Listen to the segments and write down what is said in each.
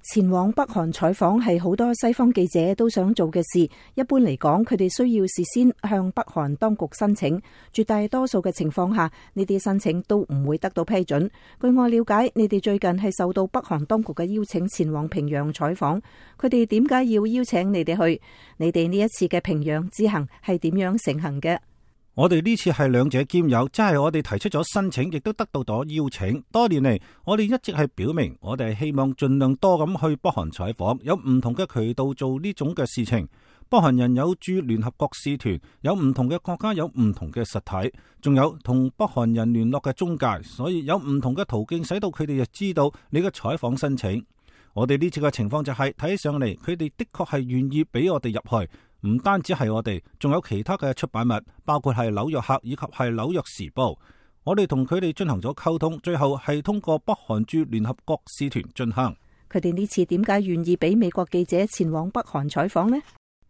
前往北韓採訪係好多西方記者都想做嘅事。一般嚟講，佢哋需要事先向北韓當局申請，絕大多數嘅情況下，呢啲申請都唔會得到批准。據我了解，你哋最近係受到北韓當局嘅邀請前往平壤採訪，佢哋點解要邀請你哋去？你哋呢一次嘅平壤之行係點樣成行嘅？我哋呢次係兩者兼有，即係我哋提出咗申請，亦都得到咗邀請。多年嚟，我哋一直係表明，我哋係希望盡量多咁去北韓採訪，有唔同嘅渠道做呢種嘅事情。北韓人有駐聯合國使團，有唔同嘅國家，有唔同嘅實體，仲有同北韓人聯絡嘅中介，所以有唔同嘅途徑，使到佢哋就知道你嘅採訪申請。我哋呢次嘅情況就係睇上嚟，佢哋的確係願意俾我哋入去。唔單止係我哋，仲有其他嘅出版物，包括係紐約客以及係紐約時報。我哋同佢哋進行咗溝通，最後係通過北韓駐聯合國使團進行。佢哋呢次點解願意俾美國記者前往北韓採訪呢？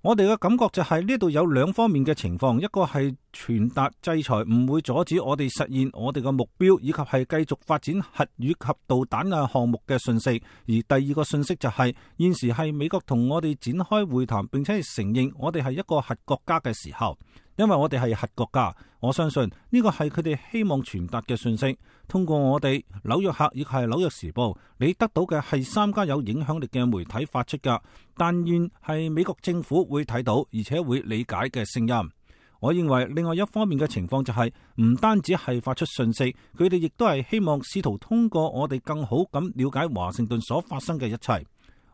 我哋嘅感覺就係呢度有兩方面嘅情況，一個係傳達制裁唔會阻止我哋實現我哋嘅目標，以及係繼續發展核武及導彈嘅項目嘅信息。而第二個信息就係現時係美國同我哋展開會談，並且係承認我哋係一個核國家嘅時候。因為我哋係核國家，我相信呢個係佢哋希望傳達嘅信息。通過我哋紐約客亦係紐約時報，你得到嘅係3家有影響力嘅媒體發出噶，但願係美國政府會睇到而且會理解嘅聲音。我認為另外一方面嘅情況就係唔單止係發出信息，佢哋亦都係希望試圖通過我哋更好咁了解華盛頓所發生嘅一切。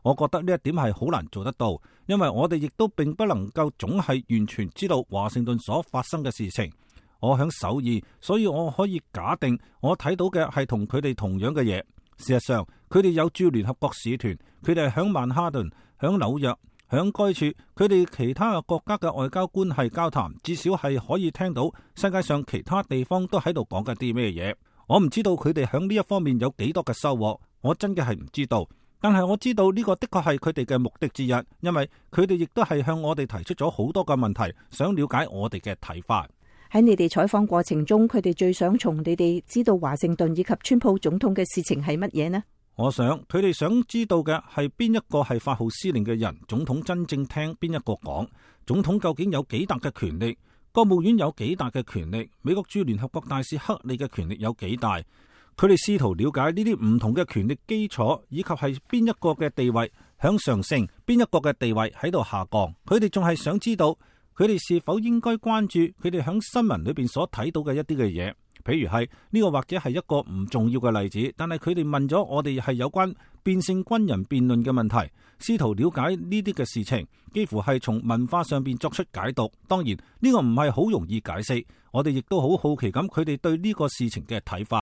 我覺得呢一點係好難做得到，因為我哋亦都並不能夠總係完全知道華盛頓所發生嘅事情。我響首爾，所以我可以假定我睇到嘅係同佢哋同樣嘅嘢。事實上，佢哋有駐聯合國使團，佢哋係響曼哈頓、響紐約、響該處，佢哋其他嘅國家嘅外交關係交談，至少係可以聽到世界上其他地方都喺度講緊啲咩嘢。我唔知道佢哋響呢一方面有幾多嘅收穫，我真嘅係唔知道。但係我知道呢個的確係佢哋嘅目的之一，因為佢哋亦都係向我哋提出咗好多嘅問題，想了解我哋嘅睇法。喺你哋採訪過程中，佢哋最想從你哋知道華盛頓以及川普總統嘅事情係乜嘢呢？我想佢哋想知道嘅係邊一個係發號施令嘅人，總統真正聽邊一個講，總統究竟有幾大嘅權力，國務院有幾大嘅權力，美國駐聯合國大使克里嘅權力有幾大。佢哋試圖了解呢啲唔同嘅權力基礎，以及係邊一個嘅地位向上升，邊一個嘅地位喺度下降。佢哋仲係想知道，佢哋是否應該關注佢哋響新聞裏邊所睇到嘅一啲嘅嘢。譬如係呢個或者係一個唔重要嘅例子，但係佢哋問咗我哋係有關變性軍人辯論嘅問題，試圖了解呢啲嘅事情，幾乎係從文化上邊作出解讀。當然呢個唔係好容易解釋，我哋亦都好好奇咁佢哋對呢個事情嘅睇法。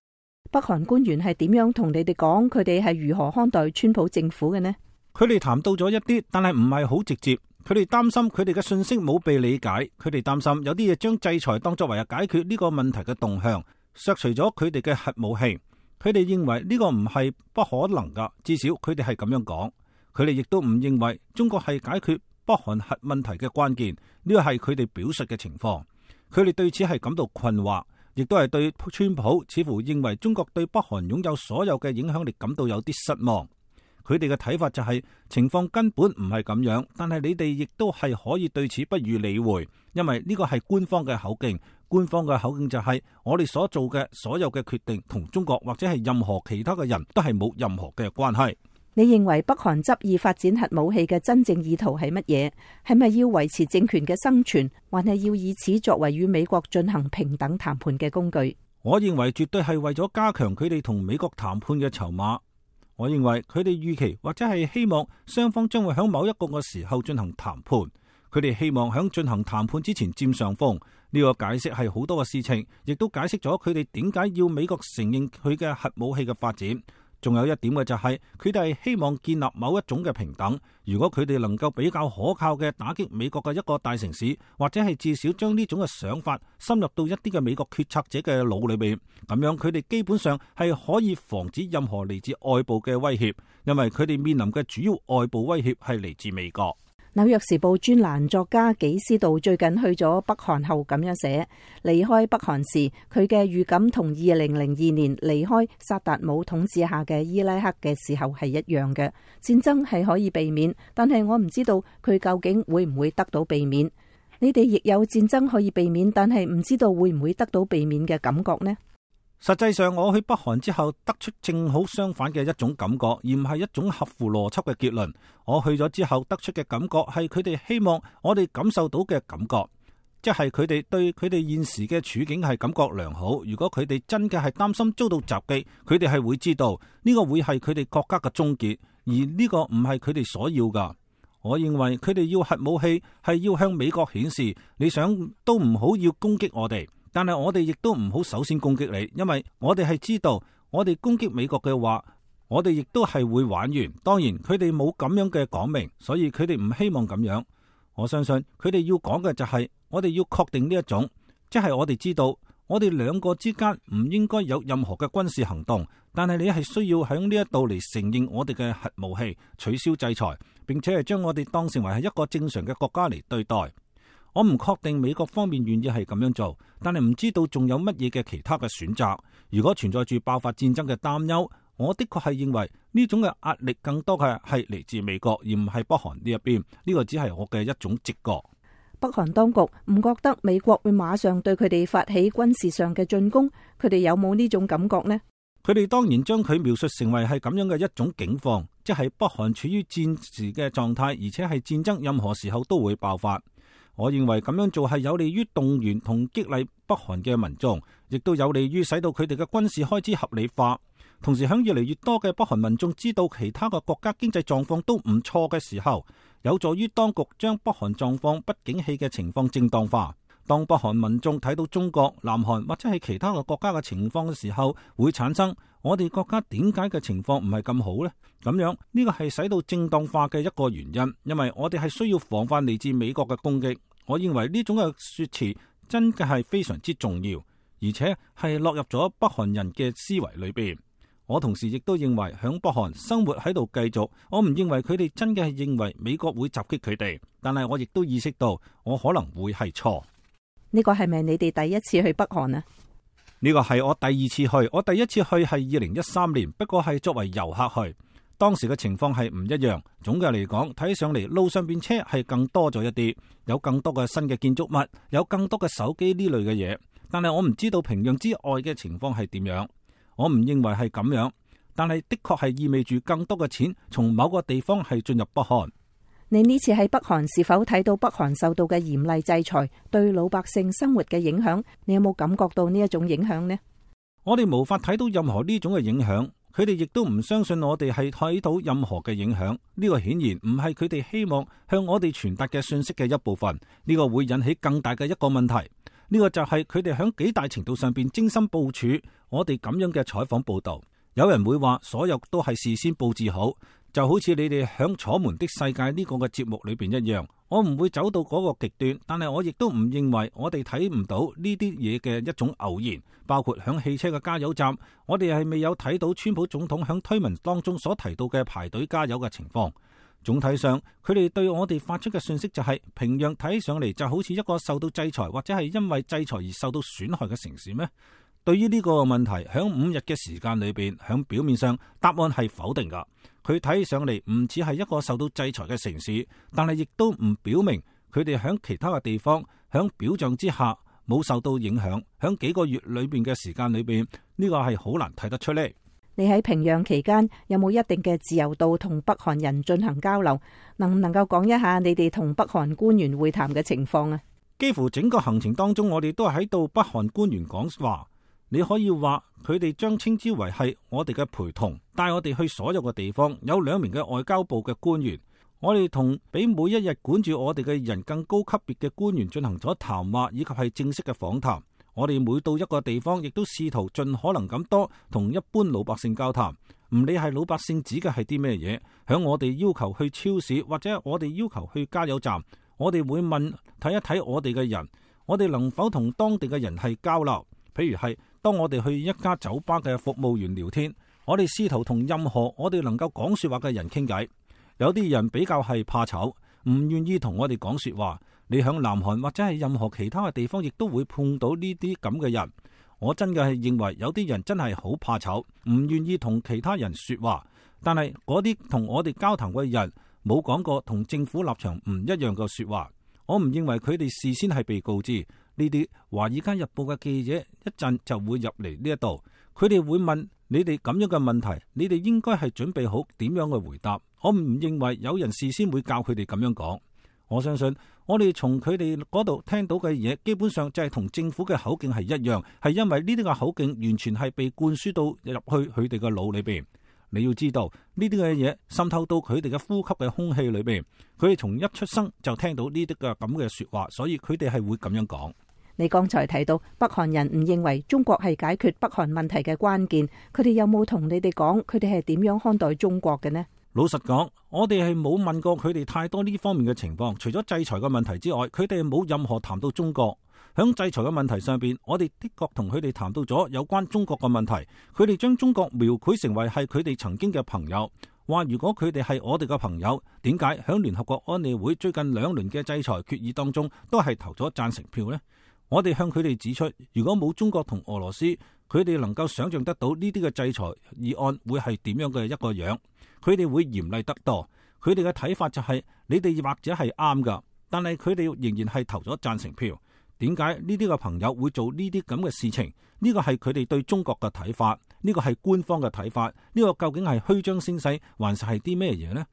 北韓官員係點樣同你哋講佢哋係如何看待川普政府嘅呢？佢哋談到咗一啲，但係唔係好直接。佢哋擔心佢哋嘅信息冇被理解，佢哋擔心有啲嘢將制裁當作為解決呢個問題嘅動向，削除咗佢哋嘅核武器。佢哋認為呢個唔係不可能噶，至少佢哋係咁樣講。佢哋亦都唔認為中國係解決北韓核問題嘅關鍵，呢個係佢哋表述嘅情況。佢哋對此係感到困惑。亦都係對川普似乎認為中國對北韓擁有所有嘅影響力感到有啲失望。佢哋嘅睇法就係情況根本唔係咁樣，但係你哋亦都係可以對此不予理會，因為呢個係官方嘅口徑。官方嘅口徑就係我哋所做嘅所有嘅決定同中國或者係任何其他嘅人都係冇任何嘅關係。你認為北韓執意發展核武器嘅真正意圖係乜嘢？係咪要維持政權嘅生存，還係要以此作為與美國進行平等談判嘅工具？我認為絕對係為咗加強佢哋同美國談判嘅籌碼。我認為佢哋預期或者係希望雙方將會喺某一個嘅時候進行談判。佢哋希望喺進行談判之前佔上風。呢個解釋係好多嘅事情，亦都解釋咗佢哋點解要美國承認佢嘅核武器嘅發展。仲有一點嘅就係佢哋係希望建立某一種嘅平等。如果佢哋能夠比較可靠嘅打擊美國嘅一個大城市，或者係至少將呢種嘅想法深入到一啲嘅美國決策者嘅腦裏邊，咁樣佢哋基本上係可以防止任何嚟自外部嘅威脅，因為佢哋面臨嘅主要外部威脅係嚟自美國。紐約時報專欄作家紀斯道最近去咗北韓後咁樣寫：離開北韓時，佢嘅預感同2002年離開薩達姆統治下嘅伊拉克嘅時候係一樣嘅。戰爭係可以避免，但係我唔知道佢究竟會唔會得到避免。你哋亦有戰爭可以避免，但係唔知道會唔會得到避免嘅感覺呢？實際上，我去北韓之後得出正好相反嘅一種感覺，而唔係一種合乎邏輯嘅結論。我去咗之後得出嘅感覺係佢哋希望我哋感受到嘅感覺，即係佢哋對佢哋現時嘅處境係感覺良好。如果佢哋真嘅係擔心遭到襲擊，佢哋係會知道呢個會係佢哋國家嘅終結，而呢個唔係佢哋所要噶。我認為佢哋要核武器係要向美國顯示，你想都唔好要攻擊我哋。但係我哋亦都唔好首先攻擊你，因為我哋係知道，我哋攻擊美國嘅話，我哋亦都係會玩完。當然，佢哋冇咁樣嘅講明，所以佢哋唔希望咁樣。我相信佢哋要講嘅就係，我哋要確定呢一種，即係我哋知道，我哋兩個之間唔應該有任何嘅軍事行動，但係你係需要喺呢一度嚟承認我哋嘅核武器，取消制裁，並且係將我哋當成為係一個正常嘅國家嚟對待。我唔確定美國方面願意係咁樣做，但係唔知道仲有乜嘢嘅其他嘅選擇。如果存在住爆發戰爭嘅擔憂，我的確係認為呢種嘅壓力更多嘅係嚟自美國，而唔係北韓呢一邊。呢個只係我嘅一種直覺。北韓當局唔覺得美國會馬上對佢哋發起軍事上嘅進攻，佢哋有冇呢種感覺呢？佢哋當然將佢描述成為係咁樣嘅一種境況，即係北韓處於戰時嘅狀態，而且係戰爭任何時候都會爆發。我認為咁樣做係有利於動員同激勵北韓嘅民眾，亦都有利於使到佢哋嘅軍事開支合理化。同時，響越嚟越多嘅北韓民眾知道其他嘅國家經濟狀況都唔錯嘅時候，有助於當局將北韓狀況不景氣嘅情況正當化。當北韓民眾睇到中國、南韓或者係其他嘅國家嘅情況嘅時候，會產生我哋國家點解嘅情況唔係咁好呢？咁樣呢個係使到正當化嘅一個原因，因為我哋係需要防範嚟自美國嘅攻擊。我認為呢種嘅說辭真嘅係非常之重要，而且係落入咗北韓人嘅思維裏邊。我同時亦都認為響北韓生活喺度繼續，我唔認為佢哋真嘅係認為美國會襲擊佢哋，但係我亦都意識到我可能會係錯。呢個係咪你哋第一次去北韓啊？呢個係我第二次去，我第一次去係2013年，不過係作為遊客去。當時嘅情況係唔一樣，總嘅嚟講，睇上嚟路上邊車係更多咗一啲，有更多嘅新嘅建築物，有更多嘅手機呢類嘅嘢。但係我唔知道平壤之外嘅情況係點樣，我唔認為係咁樣，但係的確係意味住更多嘅錢從某個地方係進入北韓。你呢次喺北韓是否睇到北韓受到嘅嚴厲制裁對老百姓生活嘅影響？你有冇感覺到呢一種影響呢？我哋無法睇到任何呢種嘅影響。佢哋亦都唔相信我哋係睇到任何嘅影響，呢個顯然唔係佢哋希望向我哋傳達嘅信息嘅一部分。呢個會引起更大嘅一個問題。呢個就係佢哋響幾大程度上邊精心部署我哋咁樣嘅採訪報道。有人會話所有都係事先布置好，就好似你哋響《楚門的世界》呢個嘅節目裏邊一樣。我唔會走到嗰個極端，但係我亦都唔認為我哋睇唔到呢啲嘢嘅一種偶然。包括響汽車嘅加油站，我哋係未有睇到川普總統響推文當中所提到嘅排隊加油嘅情況。總體上，佢哋對我哋發出嘅信息就係平壤睇上嚟就好似一個受到制裁或者係因為制裁而受到損害嘅城市咩？對於呢個問題，響5日嘅時間裏邊，響表面上答案係否定噶。佢睇上嚟唔似係一個受到制裁嘅城市，但係亦都唔表明佢哋響其他嘅地方響表象之下冇受到影響。響幾個月裏邊嘅時間裏邊，呢個係好難睇得出嚟。你喺平壤期間有冇一定嘅自由度同北韓人進行交流？能唔能夠講一下你哋同北韓官員會談嘅情況啊？幾乎整個行程當中，我哋都係喺度北韓官員講話。你可以話佢哋將稱之為係我哋嘅陪同，帶我哋去所有嘅地方。有2名嘅外交部嘅官員，我哋同比每一日管住我哋嘅人更高級別嘅官員進行咗談話，以及係正式嘅訪談。我哋每到一個地方，亦都試圖盡可能咁多同一般老百姓交談，唔理係老百姓指嘅係啲咩嘢。響我哋要求去超市或者我哋要求去加油站，我哋會問睇一睇我哋嘅人，我哋能否同當地嘅人係交流。譬如係當我哋去一家酒吧嘅服務員聊天，我哋試圖同任何我哋能夠講說話嘅人傾偈。有啲人比較係怕醜，唔願意同我哋講說話。你響南韓或者係任何其他嘅地方，亦都會碰到呢啲咁嘅人。我真嘅係認為有啲人真係好怕醜，唔願意同其他人說話。但係嗰啲同我哋交談嘅人冇講過同政府立場唔一樣嘅說話。我唔認為佢哋事先係被告知。呢啲《華爾街日報》嘅記者一陣就會入嚟呢一度，佢哋會問你哋咁樣嘅問題，你哋應該係準備好點樣嘅回答。我唔認為有人事先會教佢哋咁樣講。我相信我哋從佢哋嗰度聽到嘅嘢，基本上就係同政府嘅口徑係一樣，係因為呢啲嘅口徑完全係被灌輸到入去佢哋嘅腦裏邊。你要知道呢啲嘅嘢滲透到佢哋嘅呼吸嘅空氣裏邊，佢哋從一出生就聽到呢啲嘅咁嘅說話，所以佢哋係會咁樣講。你剛才提到北韓人唔認為中國係解決北韓問題嘅關鍵，佢哋有冇同你哋講佢哋係點樣看待中國嘅呢？老實講，我哋係冇問過佢哋太多呢方面嘅情況，除咗制裁嘅問題之外，佢哋冇任何談到中國。響制裁嘅問題上邊，我哋的確同佢哋談到咗有關中國嘅問題。佢哋將中國描繪成為係佢哋曾經嘅朋友，話如果佢哋係我哋嘅朋友，點解響聯合國安理會最近2輪嘅制裁決議當中都係投咗贊成票呢？我哋向佢哋指出，如果冇中國同俄羅斯，佢哋能夠想象得到呢啲嘅制裁議案會係點樣嘅一個樣，佢哋會嚴厲得多。佢哋嘅睇法就係，你哋或者係啱噶，但係佢哋仍然係投咗贊成票。點解呢啲嘅朋友會做呢啲咁嘅事情？呢個係佢哋對中國嘅睇法，呢個係官方嘅睇法，呢個究竟係虛張聲勢，還是係啲咩嘢呢？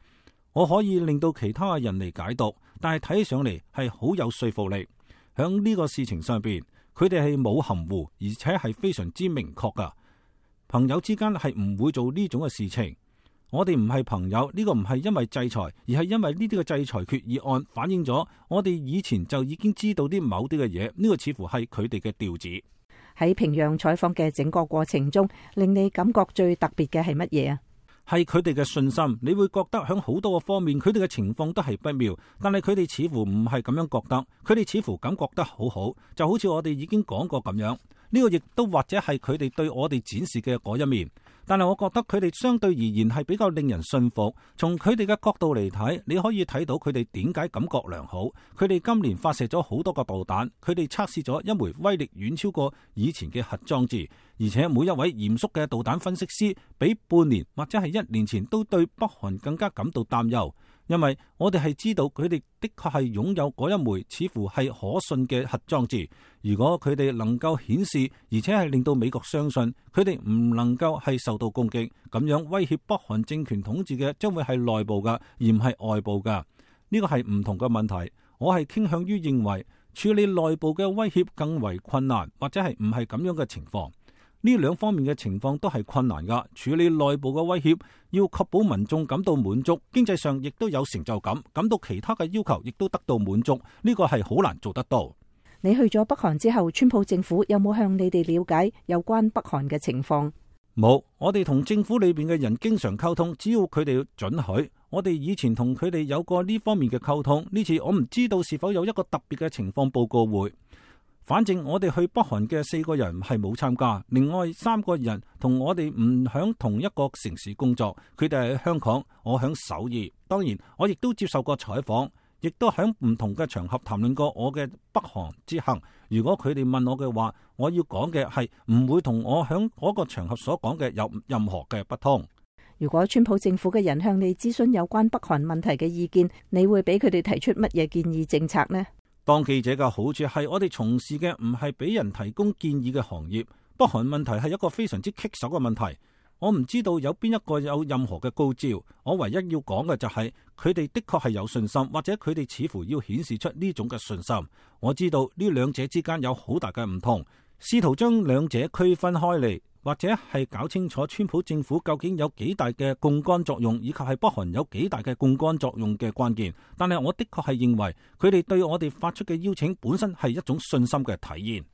我可以令到其他嘅人嚟解讀，但係睇起上嚟係好有說服力。響呢個事情上邊，佢哋係冇含糊，而且係非常之明確噶。朋友之間係唔會做呢種嘅事情。我哋唔係朋友，呢個唔係因為制裁，而係因為呢啲嘅制裁決議案反映咗我哋以前就已經知道啲某啲嘅嘢。呢個似乎係佢哋嘅調子。喺平壤採訪嘅整個過程中，令你感覺最特別嘅係乜嘢啊？係佢哋嘅信心。你會覺得響好多個方面，佢哋嘅情況都係不妙，但係佢哋似乎唔係咁樣覺得。佢哋似乎感覺得好好，就好似我哋已經講過咁樣。呢個亦都或者係佢哋對我哋展示嘅嗰一面。但係我覺得佢哋相對而言係比較令人信服。從佢哋嘅角度嚟睇，你可以睇到佢哋點解感覺良好。佢哋今年發射咗好多個導彈，佢哋測試咗一枚威力遠超過以前嘅核裝置，而且每一位嚴肅嘅導彈分析師比半年或者係1年前都對北韓更加感到擔憂。因為我哋係知道佢哋的確係擁有嗰一枚似乎係可信嘅核裝置。如果佢哋能夠顯示，而且係令到美國相信佢哋唔能夠係受到攻擊，咁樣威脅北韓政權統治嘅將會係內部噶，而唔係外部噶。呢個係唔同嘅問題。我係傾向於認為處理內部嘅威脅更為困難，或者係唔係咁樣嘅情況。呢兩方面嘅情況都係困難噶。處理內部嘅威脅，要確保民眾感到滿足，經濟上亦都有成就感，感到其他嘅要求亦都得到滿足，呢個係好難做得到。你去咗北韓之後，川普政府有冇向你哋了解有關北韓嘅情況？冇，我哋同政府裏邊嘅人經常溝通，只要佢哋准許。我哋以前同佢哋有過呢方面嘅溝通，呢次我唔知道是否有一個特別嘅情況報告會。反正我哋去北韓嘅4個人係冇參加，另外3個人同我哋唔響同一個城市工作，佢哋喺香港，我響首爾。當然，我亦都接受過採訪，亦都響唔同嘅場合談論過我嘅北韓之行。如果佢哋問我嘅話，我要講嘅係唔會同我響嗰個場合所講嘅有任何嘅不同。如果川普政府嘅人向你諮詢有關北韓問題嘅意見，你會俾佢哋提出乜嘢建議政策呢？當記者嘅好處係我哋從事嘅唔係俾人提供建議嘅行業。北韓問題係一個非常之棘手嘅問題。我唔知道有邊一個有任何嘅高招。我唯一要講嘅就係佢哋的確係有信心，或者佢哋似乎要顯示出呢種嘅信心。我知道呢兩者之間有好大嘅唔同，試圖將兩者區分開嚟，或者係搞清楚川普政府究竟有幾大嘅槓桿作用，以及係北韓有幾大嘅槓桿作用嘅關鍵。但係我的確係認為佢哋對我哋發出嘅邀請本身係一種信心嘅體現。